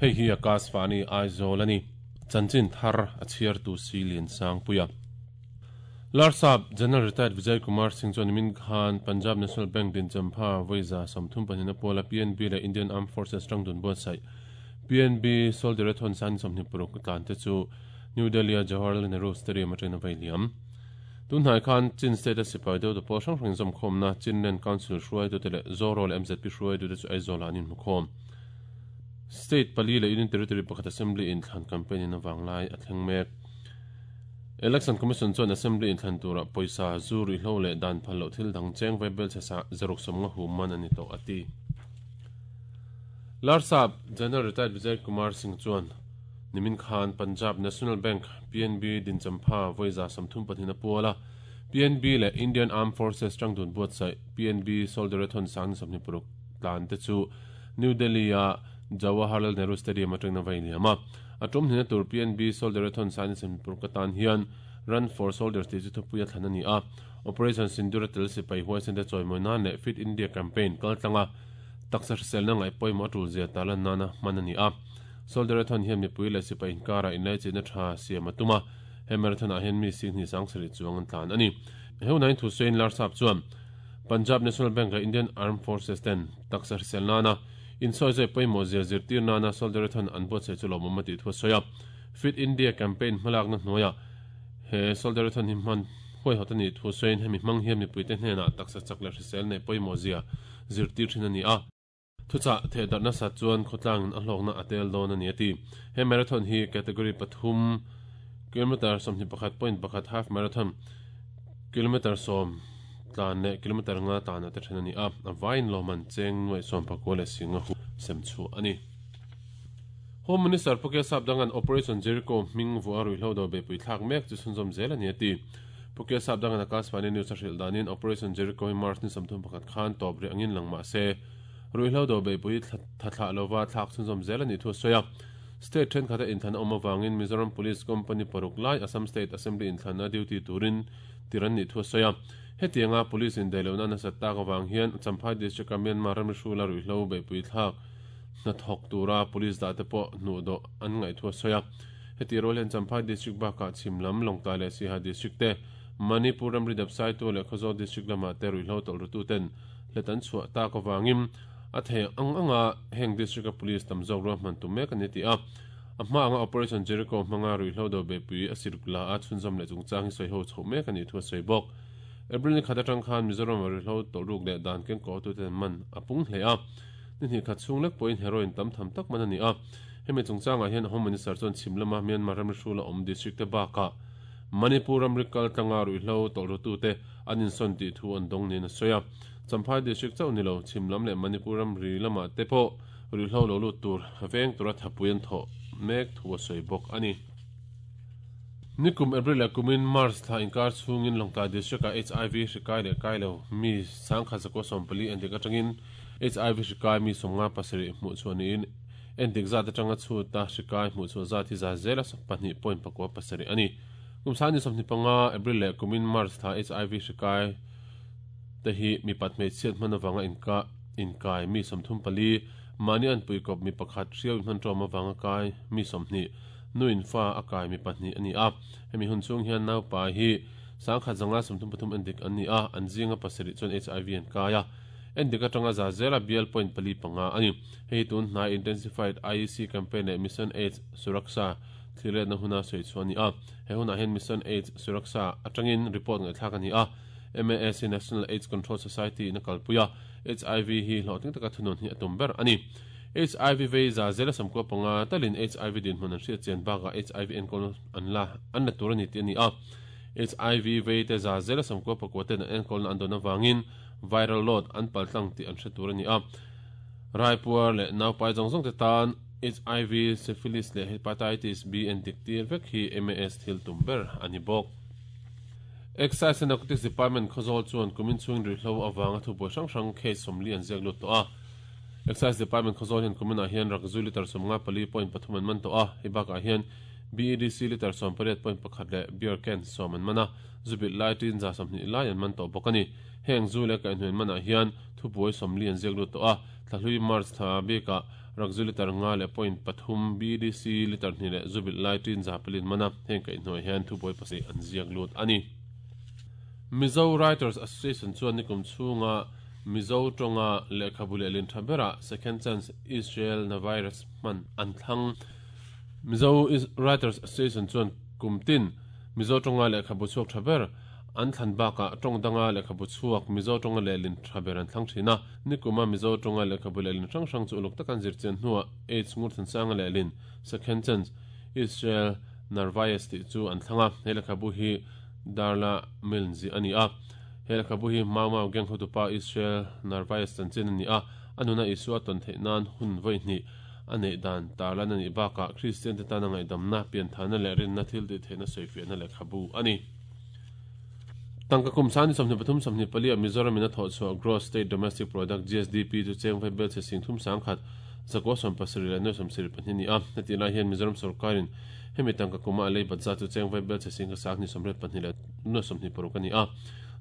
Hei hi Akashvani Aizawl a ni. Chanchin thar a chhiartu si Liansangpuia. Larsap General Retired Vijay Kumar Singh chuan nimin khan Punjab National Bank din champha vawiza 32 puala PNB leh Indian Armed Forces tangdun buatsaih PNB Soldierathon san 26 tlan te chu New Delhi-a Jawaharlal Nehru Stadium atangin a vei liam. Tunhnai khan Chin State-a sipai deuh te pawh hrang hrangin zawmkhawmna Chinland Council hruaitute leh Zoro leh MZP hruaitute chu Aizawl-ah an inhmukhawm. State pali leh Union Territory pakhat Assembly inthlan campaign in avanglai a thleng mek. Election Commission chuan Assembly inthlan turah pawisa, zu ruihhlo leh dan phal loh thil dang cheng vaibel chhe sa zaruk sawmnga hum man a ni tawh a ti. Larsap General Retired Vijay Kumar Singh chuan nimin khan Punjab National Bank, PNB, dinchampha vawiza 32 a pual a, PNB leh Indian Armed Forces tangdun buatsaih PNB Soldierathon sang ni 26 tlan te chu New Delhi-a Jawaharlal Nehru Stadium atangin a va inliam a. A tum hnena tur PNB Soldierathon Sainisempur ka tan hian Run for Soldiers tih chu thupui a thlan a ni a. Operation Sindoor a tel sipai huaisen te chawimawi nan leh Fit India campaign kal tlanga taksa hriselna ngaih pawimawh a tul zia tarlan nana hman a ni a. Soldierathon hian mipui leh sipai inkara inlaichinna tha siam a tum a, he marathon ah hian mi singhnih sangsarih chuang an tlan a ni. He hunah hian Thusain Larsap chuan Punjab National Bank leh Indian Armed Forces ten taksa hrisel nana Insawi zai pawimawh zia zirtir nana Soldierathon an buatsaih chu lawmawm a tih thu a sawi a. Fit India campaign hmalakna hnuaiah he Soldierathon hi hman huaihawt a nih thu sawiin hemi hmang hian mipuite hnenah taksa chak leh hrisel neih pawimawh zia zirtir thin a ni a. Thuchah thehdarh nasat chuan khawtlangin a hlawkna a tel dawn a ni a ti. He marathon hi category pathum, kilometre 21.1 half marathon, kilometre 10, Tlan leh kilometre nga tana te then a ni a, a vaiin lawmman cheng nuaih sawmpakua leh singa hu sem chhuah a ni. Home Minister Pu Kia Sapdanga'n Operation Jericho hming vuah ruihhlo do beihpui thlak mek chu chhunzawm zel a ni a ti. Pu Kia Sapdanga'n Akashvani News a hrilh danin Operation Jericho hi March ni 31 khan tawp rih angin lang mah se, ruihhlo do beihpui tha thlah lova thlak chhunzawm zel a nih thu a sawi a. State thenkhat a inthlan a awm avangin Mizoram Police Company paruk lai Assam State Assembly inthlanna duty turin tir an nih thu a sawi a. Hetianga Police indaihlohna nasat tak avang hian Champhai District-a Myanmar ram hrula ruihhlo beihpui thlak hnathawk tura Police dah te pawh hnuhdawh an ngaih thu a sawi a. Heti rual hian Champhai District bakah chhim lam Lawngtlai leh Siaha District te, Manipur ramri dapsaitu leh Khawzawl District lamah te ruihhlo tawlh rututen hlet an chhuah tak avangin a thei ang anga heng District-a Police tam zawk ruahman tum mek a ni tih a. A hma anga Operation Jericho hmanga ruihhlo do beihpui a siruk la a chhunzawm leh chungchang hi sawi ho chhoh mek a nih thu a sawi bawk. April ni khat atang khan Mizoram-a ruihhlo tawlhruk leh dan kengkawhtute an man a pung hle a. Ni hnih khat chhung lek pawhin heroin tam tham tak man a ni a. Hemi chungchangah hian Home Minister chuan chhim lama Myanmar ramri hrula awm district te bakah Manipur ramri kal tlanga ruihhlo tawlhrutute an insawn tih thu an dawng niin a sawi a. Champhai district chauh ni lo chhim lam leh Manipur ramri lamah te pawh Ruihhlo lo lut tur veng tura thapui an thawh mek thu a sawi bawk a ni. Nikum April leh kumin March thla inkar chhungin Lawngtlai District-ah HIV hri kai leh kai lo mi sangkhat zakua 14 endik atangin HIV hri kai mi 57 hmuh chhuah niin endik zat atanga chhuta hri kai hmuh chhuah zat hi za zela 2.7 a ni. Kum sangni 25 April leh kumin March thla HIV hri kai te hi mipat hmeichhiat hman avanga inka inkai mi 34, mahni anpui kawp mi pakhat hriau inhman tawm avanga kai mi 20, nu in fa a kai mi pahnih a ni a. Hemi hun chhung hian naupa hi 1533 endik an ni a, an zinga pasarih chuan HIV an kai a. Endik atanga za zela bial point pali panga a ni. Hei hi tun hnai Intensified IEC Campaign leh Mission AIDS Suraksha thliretna huna sawi chhuah a ni a. He hunah hian Mission AIDS Suraksha atangin report ngaihthlak a ni a. MAS hi National AIDS Control Society in a kalpui a, HIV hi hlawhtling taka thunun hi a tum ber a ni. HIV vei za zela samkua panga talin HIV dinhmun an hriat chian bakah HIV enkawl an la an la tur a ni tih a ni a. HIV vei te za zela samkua pakua ten an enkawlna an dawn avangin viral load an paltlang tih an hre tur a ni a. Raipuar leh naupai zawng zawng te tan HIV, syphilis leh hepatitis B endik tir vek hi MAS thil tum ber a ni bawk. Excise and Narcotics Department Khawzawl chuan kumin chhungin ruihhlo avanga thubuai hrang hrang case 40 an ziak lut tawh a. Excise Department Khawzawl hian kuminah hian rakzu litre 54.3 an man tawh a, hei bakah hian BEDC litre 18.1 leh beer can 10 an man a, zu bilh lai tin 120 lai an man tawh bawk a ni. Heng zu leh kaihhnuai manah hian thubuai 40 an ziak lut tawh a, thlahlui March thla bikah. Rakzu litre nga leh point pathum, BDC litre hnih leh zu bilh lai tin za paliin man a, heng kaihhnuai hian thubuai pasarih an ziak lut a ni. Mizo Writers Association chuan nikum chhunga Mizo tawnga lehkhabu lehlin tha berah Second Chance Israel na virus hman an thlang. Mizo Writers Association chuan kum tin Mizo tawnga lehkhabu chhuak tha ber an thlan bakah tawng danga lehkhabu chhuak Mizo tawnga lehlin tha ber an thlang thin a. Nikuma Mizo tawnga lehkhabu lehlin hrang hrang chu uluk taka an zir chian hnuah H Ngurthansanga lehlin Second Chance Israel Narvaez tih chu an thlang a. He lehkhabu hi Darla Milne zih a ni a. He lehkhabu hi Mau Mau gang hotupa Israel Narvaez chanchin a ni a, a nuna Isua tawn theih nan hun vawi hnih a neih dan tarlan a nih bakah Kristian te tana ngaihdamna, pianthana leh rinna thil tih theihna sawifiahna lehkhabu a ni. Tangka kum sani 23 24 ah Mizoram in a thawh chhuah Gross State Domestic Product, GSDP, chu cheng vai bel chhe sing thum sangkhat, zakua 70 leh nuai 74 a ni a. Hetih lai hian Mizoram sorkarin Hemi tangka kuma a lei bat zat chu cheng vai bel chhe sing sang ni 82 leh nuai 26 a ni a.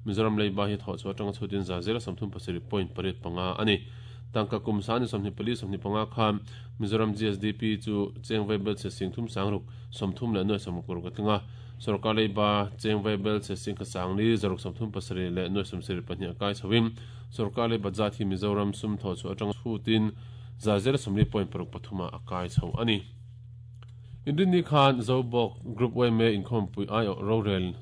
Mizoram leiba hi thawh chhuah atanga chhutin za zela 37 point pariat panga a ni. Tangka kum sang ni 24 25 khan Mizoram GSDP chu cheng vai bel chhe sing thum sang ruk 30 leh nuai 66 a tling a. Sorkar leiba cheng vai bel chhe sing sang ni zaruk 37 leh nuai 74 a kai chhoin sorkar lei bat zat hi Mizoram sum thawh chhuah atanga chhutin za zela 40 point paruk pathum ah a kai chho a ni. Inrinni khan Zobawk Group yma inkhawmpui aiawh rorel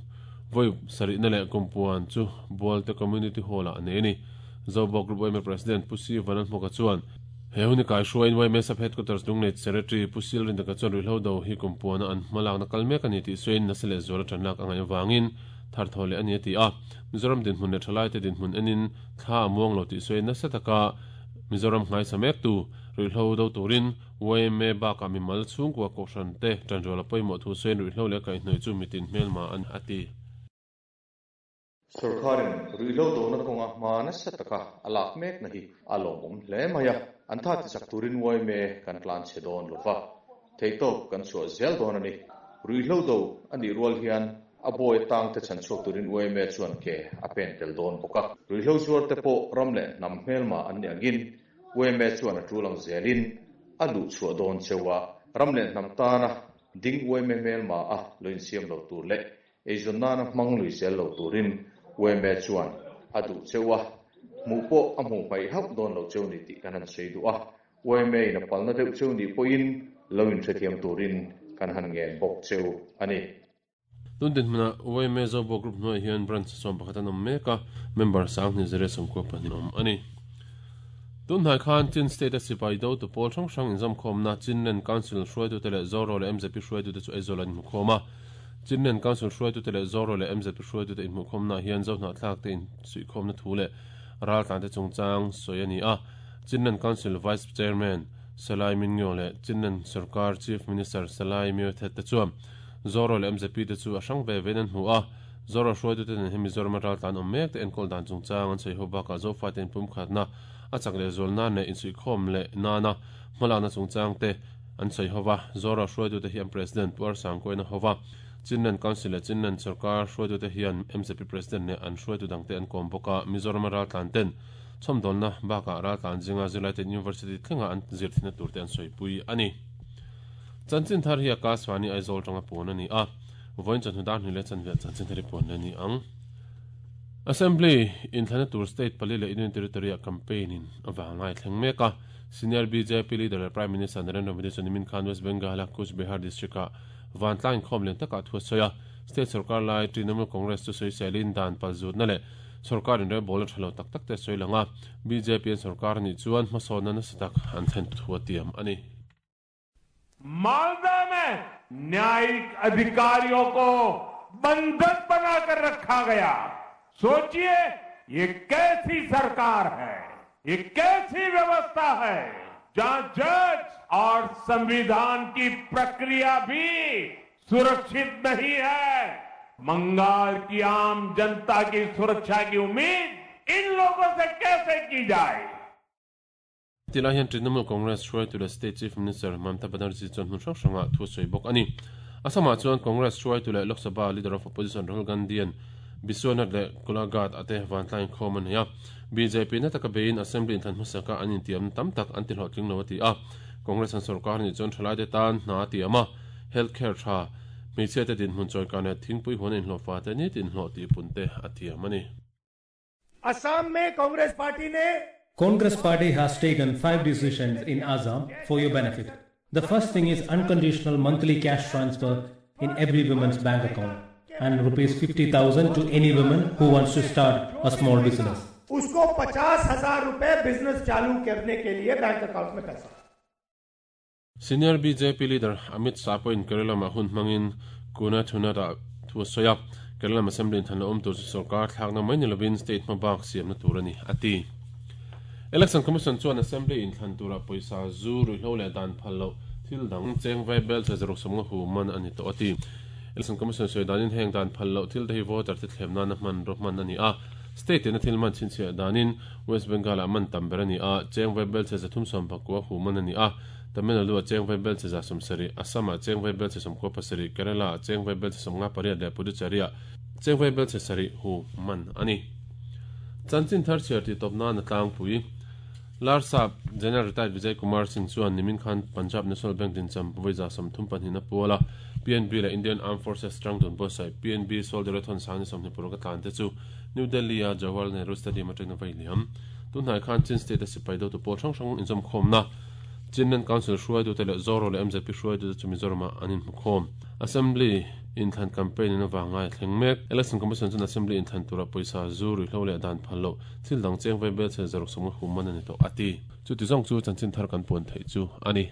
vawi sarihna leh kumpuan chu Bualte Community Hall-ah a nei a ni. Zobawk Group yma President Pu Si Vanlalhmuka chuan, He hun i kaihruaiin yma Sub Headquarters Lunglei Secretary Pu Sil Rindaka chuan ruihhlo do hi kumpuana an hmalakna kal mek a ni tih sawiin nasa leh zuala tanlak a ngaih avangin thar thaw leh a ni a ti a. Mizoram dinhmun leh thalaite dinhmun enin thla a muang lo tih sawiin nasa taka Mizoram nghaisa mektu ruihhlo do turin Yma bakah mimal chhungkua kohhran te tanrual a pawimawh thu sawiin ruihhlo leh kaihhnawih chu mitin hmelma a ni a ti. Sorkarin ruihhlo dona kawnga hma nasa taka a lak mekna hi a lawmawm hle mai a, an tha tichak turin yma kan tlan chhe dawn lo va, theihtawp kan chhuah zel dawn a ni. Ruihhlo do a nih rual hian a bawi tangte chhan chhuak turin yma chuan ke a pen tel dawn bawk a, ruihhlo zuarte pawh ram leh hnam hmelma an nih angin Yma chuan a tul ang zelin a luh chhuah dawn cheu a, ram leh hnam tana ding yma hmelma a lo insiam lo tur leh eizawn nana hmang lui zel lo turin yma chuan a duh cheu a, hmuh pawh a hmuh hmaih hauh dawn lo cheu ni tih kan han sawi duh a, yma in a palna deuh cheu nih pawhin lo inhrethiam turin kan han ngen bawk cheu a ni. Tun dinhmunah yma Zobawk Group hnuaiah hian branch 11 an awm mek a, member 10,000 zere 92 awm a ni. Tun hnai khan Chin State-a sipai dotu pawl hrang hrang inzawmkhawmna Chinland Council hruaitute leh Zoro leh mzp hruaitute chu Aizawl an inhmukhawm a. Chinland Council hruaitute leh Zoro leh mzp hruaitute inhmuhkhawmnaah hian Zohnahthlakte insuihkhawmna thu leh raltlante chungchang sawi a ni a. Chinland Council Vice Chairman Salai Min Ngyo leh Chinland Sorkar Chief Minister Salai Myo Thet te chuan Zoro leh mzp te chu a hrang ve vein an hmu a, Zoro hruaitute nen hian Mizorama raltlan awm mek te enkawl dan chungchang an sawi ho bakah Zofate inpumkhatna a chak leh zual nan leh insuihkhawm leh nana hmalakna chungchang te an sawi ho va. Zoro hruaitute hi an President Pu Arsangkuaina ho va, Chinland Council leh Chinland Sorkar hruaitute hian mzp President leh an hruaitu dangte an kawm bawk a, Mizorama raltlan ten chhawmdawnna bakah raltlan zinga zirlaiten University thlenga an zir thihna turte an sawipui a ni. Chanchin thar hi Akashvani Aizawl tanga puan a ni a, vawiin chawhnu dar hnih leh chanve ah chanchin thar hi puan leh a ni ang. Assembly inthlana tur state pali leh Union Territory ah campaign in a vanglai thleng mek a, Senior bjp leader leh Prime Minister Narendra Modi chuan nimin khan West Bengal a Cooch Behar district ah vantlang inkhawm lian takah thu a sawi a, state sorkar lai Trinamool Congress chu sawiselin dan palzutna leh sorkar inrelbawlna tha lo tak tak te a sawi lang a, bjp an sorkar anih chuan hmasawnna nasa tak an thlen thu a tiam a ni. Malda में न्यायिक अधिकारियों को बंधक बनाकर रखा गया सोचिए ये कैसी सरकार है ये कैसी व्यवस्था है जहां जज और संविधान की प्रक्रिया भी सुरक्षित नहीं है बंगाल की आम जनता की सुरक्षा की उम्मीद इन लोगों से कैसे की जाए Tilai hian Trinamool Congress hruaitu leh State Chief Minister Mamta Banerjee chuan hmun hrang hrangah thu a sawi bawk a ni. Assam-ah chuan Congress hruaitu leh Lok Sabha Leader of Opposition Rahul Gandhi-a'n Biswanath leh Golaghat ah te vantlang inkhawm a nei a. Bjp na taka beiin Assembly inthlan hmasaka an intiamna tam tak an tihlawhtling lo a ti a. Congress an sorkar nih chuan thalaite tan hna a tiam a, health care tha, hmeichhiate dinhmun chawikan leh thingpui huan a inhlawhfa te nitin hlawh tihpun te a tiam a ni. Assam mein Congress party ne. Congress party has taken 5 decisions in Assam for your benefit. The first thing is unconditional monthly cash transfer in every woman's bank account and rupees 50,000 to any woman who wants to start a small business. Usko 50,000 rupaye business chalu karne ke liye bank account mein paisa. Senior bjp leader Amit Shah pawhin Kerala lamah hun hmangin Kunathunad-ah thu a sawi a, Kerala lam Assembly inthanna awm tur chu sorkar thlakna mai ni lovin state hma bak siamna tur a ni, a ti. Election Commission chuan Assembly inthlan turah pawisa zu ruihhlo leh dan phal loh thil dang cheng vai bel che zaruk sawmnga hu man a ni tawh a ti. Election Commission sawi danin heng dan phal loh thil te hi voter te thlem nana hmanraw hman a ni a, state ina thil man chhinchhiah danin West Bengal-ah man tam ber a ni a, cheng vai bel che 319 hu man a ni a, Tamil Nadu-ah cheng vai bel che 70, Assam-ah cheng vai bel che 97, Kerala-ah cheng vai bel che 58 leh Puducherry-ah cheng vai bel che 7 hu man a ni. Chanchin thar chhiar tih tawp nan a tlangpui. Larsap General Retired Vijay Kumar Singh chuan nimin khan Punjab National Bank dincham vawi 32 a pual a, PNB leh Indian Armed Forces tangdun buatsaih PNB Soldierathon sang ni 25 a tlan te chu New Delhi-a Jawaharlal Nehru Stadium atangin a vai liam. Tunhnai khan Chin State-a sipai dotu pawl hrang hrang inzawmkhawmna Chinland Council hruaitute leh Zoro leh MZP hruaitute chu Mizoramah an inhmukhawm. Assembly inthlan campaign in avang ngai a thleng mek. Election Commission chuan Assembly inthlan turah pawisa zu ruihhlo leh dan phal loh thil dang cheng vai bel chhe zaruk sawmnga hum man a ni tawh a ti. Chuti zawng chu chanchin thar kan puan theih chu a ni.